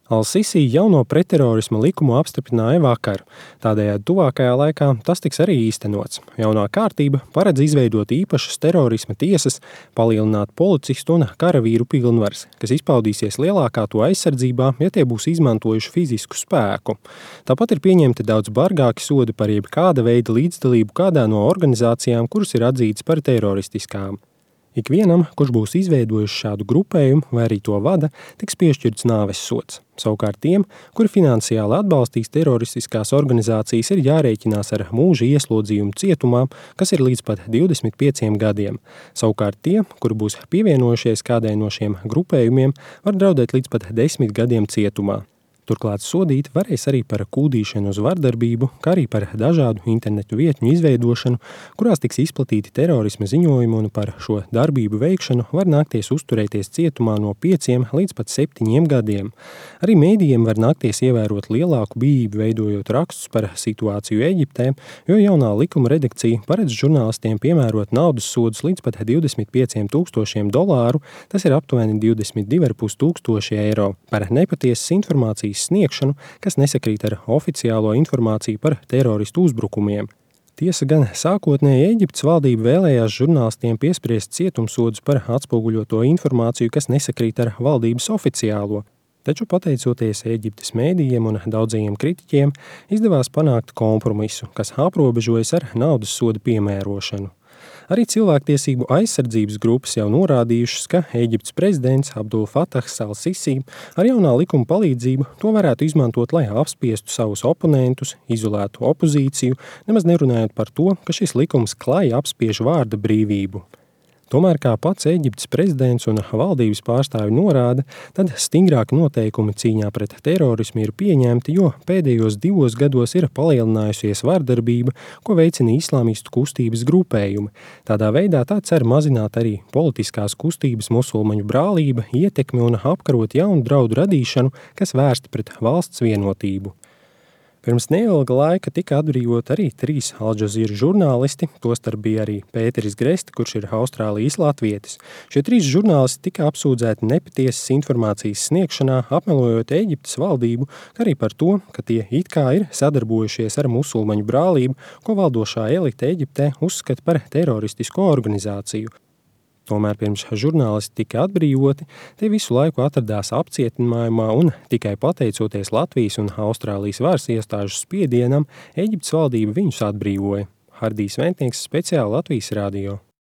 Al-Sisi jauno pretterorisma likumu apstiprināja vakar. Tādējādi tuvākajā laikā tas tiks arī īstenots. Jaunā kārtība paredz izveidot īpašas terorisma tiesas, palielināt policistu un karavīru pilnvaras, kas izpaudīsies lielākā to aizsardzībā, ja tie būs izmantojuši fizisku spēku. Tāpat ir pieņemti daudz bargāki sodi par jebkāda veida līdzdalību kādā no organizācijām, kuras ir atzītas par teroristiskām. Ikvienam, kurš būs izveidojis šādu grupējumu vai arī to vada, tiks piešķirts nāves sods. Savukārt tiem, kuri finansiāli atbalstīs teroristiskās organizācijas, ir jārēķinās ar mūža ieslodzījumu cietumā, kas ir līdz pat 25 gadiem. Savukārt tie, kuri būs pievienojušies kādai no šiem grupējumiem, var draudēt līdz pat 10 gadiem cietumā. Turklāt sodīt varēs arī par kūdīšanu uz vardarbību, kā arī par dažādu internetu vietņu izveidošanu, kurās tiks izplatīti terorisma ziņojumi, un par šo darbību veikšanu var nākties uzturēties cietumā no 5 līdz pat 7 gadiem. Arī mēdījiem var nākties ievērot lielāku bijību, veidojot rakstus par situāciju Eģiptē, jo jaunā likuma redakcija paredz žurnālistiem piemērot naudas sodus līdz pat $25,000, tas ir aptuveni 22,500 eiro, par nepatiesas informācijas sniegšanu, kas nesakrīt ar oficiālo informāciju par teroristu uzbrukumiem. Tiesa gan sākotnēji Eģiptes valdība vēlējās žurnālistiem piespriest cietumsodus par atspoguļoto informāciju, kas nesakrīt ar valdības oficiālo. Taču pateicoties Eģiptes mēdījiem un daudzajiem kritiķiem, izdevās panākt kompromisu, kas aprobežojas ar naudas soda piemērošanu. Arī cilvēktiesību aizsardzības grupas jau norādījušas, ka Eģiptes prezidents Abdul Fatahs al-Sisi ar jaunā likuma palīdzību to varētu izmantot, lai apspiestu savus oponentus, izolētu opozīciju, nemaz nerunājot par to, ka šis likums klāji apspiež vārda brīvību. Tomēr, kā pats Eģiptes prezidents un valdības pārstāvi norāda, tad stingrāki noteikumi cīņā pret terorismu ir pieņemti, jo pēdējos 2 gados ir palielinājusies vardarbība, ko veicina islāmistu kustības grupējumi. Tādā veidā tā cer mazināt arī politiskās kustības musulmaņu brālība, ietekmi un apkarot jaunu draudu radīšanu, kas vērsta pret valsts vienotību. Pirms neilga laika tika atbrīvot arī 3 Al-Jazeera žurnālisti, tostarp bija arī Pēteris Gresti, kurš ir Austrālijas latvietis. Šie 3 žurnālisti tika apsūdzēti nepatiesas informācijas sniegšanā, apmelojot Eģiptes valdību, kā arī par to, ka tie it kā ir sadarbojušies ar musulmaņu brālību, ko valdošā elite Eģiptē uzskata par teroristisko organizāciju. Tomēr pirms žurnālisti tika atbrīvoti, tie visu laiku atradās apcietinājumā un tikai pateicoties Latvijas un Austrālijas varas iestāžu spiedienam, Eģiptes valdība viņus atbrīvoja. Hardijs Ventnieks, speciāli Latvijas radio.